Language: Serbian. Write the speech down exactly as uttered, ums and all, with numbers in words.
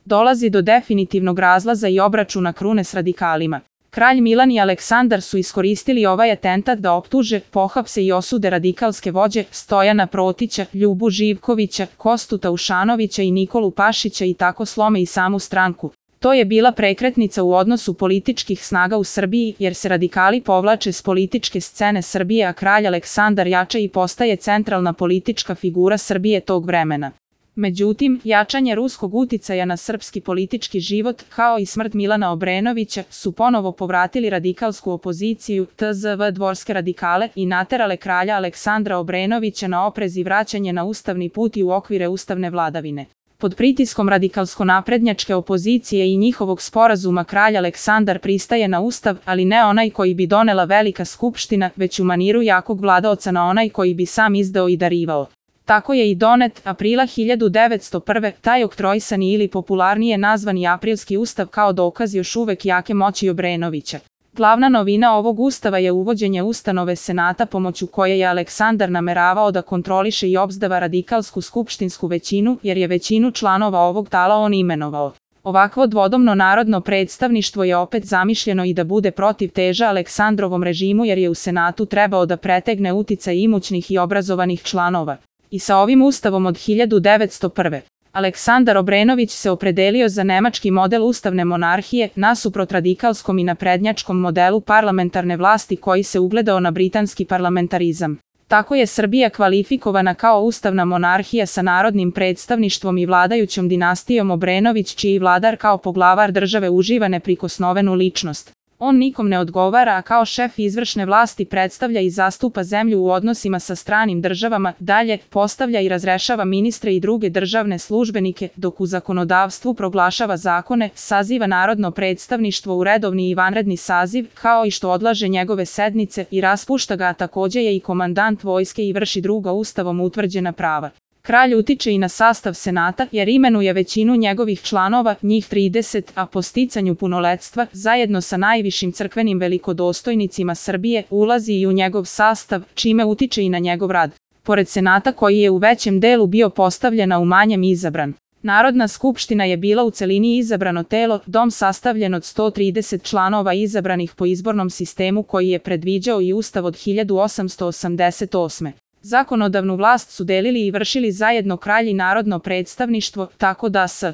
Dolazi do definitivnog razlaza i obračuna krune s radikalima. Kralj Milan i Aleksandar su iskoristili ovaj atentat da optuže, pohapse i osude radikalske vođe Stojana Protića, Ljubu Živkovića, Kostu Taušanovića i Nikolu Pašića i tako slome i samu stranku. To je bila prekretnica u odnosu političkih snaga u Srbiji, jer se radikali povlače s političke scene Srbije, a kralj Aleksandar jača i postaje centralna politička figura Srbije tog vremena. Međutim, jačanje ruskog uticaja na srpski politički život, kao i smrt Milana Obrenovića, su ponovo povratili radikalsku opoziciju, tzv. dvorske radikale, i naterale kralja Aleksandra Obrenovića na oprez i vraćanje na ustavni put i u okvire ustavne vladavine. Pod pritiskom radikalsko-naprednjačke opozicije i njihovog sporazuma kralj Aleksandar pristaje na ustav, ali ne onaj koji bi donela Velika skupština, već u maniru jakog vladaoca na onaj koji bi sam izdao i darivao. Tako je i donet, aprila hiljadu devetsto prve. taj oktroisani ili popularnije nazvani Aprilski ustav kao dokaz još uvek jake moći Obrenovića. Glavna novina ovog ustava je uvođenje ustanove senata pomoću koje je Aleksandar nameravao da kontroliše i obzdava radikalsku skupštinsku većinu, jer je većinu članova ovog tala on imenovao. Ovakvo dvodomno narodno predstavništvo je opet zamišljeno i da bude protiv teža Aleksandrovom režimu, jer je u senatu trebao da pretegne uticaj imućnih i obrazovanih članova. I sa ovim ustavom od hiljadu devetsto prve. Aleksandar Obrenović se opredelio za nemački model ustavne monarhije, nasuprot radikalskom i naprednjačkom modelu parlamentarne vlasti koji se ugledao na britanski parlamentarizam. Tako je Srbija kvalifikovana kao ustavna monarhija sa narodnim predstavništvom i vladajućom dinastijom Obrenović, čiji vladar kao poglavar države uživa neprikosnovenu ličnost. On nikom ne odgovara, a kao šef izvršne vlasti predstavlja i zastupa zemlju u odnosima sa stranim državama, dalje, postavlja i razrešava ministre i druge državne službenike, dok u zakonodavstvu proglašava zakone, saziva narodno predstavništvo u redovni i vanredni saziv, kao i što odlaže njegove sednice i raspušta ga, a takođe je i komandant vojske i vrši druga ustavom utvrđena prava. Kralj utiče i na sastav senata, jer imenuje većinu njegovih članova, njih trideset, a po sticanju punoletstva, zajedno sa najvišim crkvenim velikodostojnicima Srbije, ulazi i u njegov sastav, čime utiče i na njegov rad. Pored senata koji je u većem delu bio postavljen, a u manjem izabran. Narodna skupština je bila u celini izabrano telo, dom sastavljen od sto trideset članova izabranih po izbornom sistemu koji je predviđao i ustav od hiljadu osamsto osamdeset osme. Zakonodavnu vlast su delili i vršili zajedno kralj i narodno predstavništvo, tako da s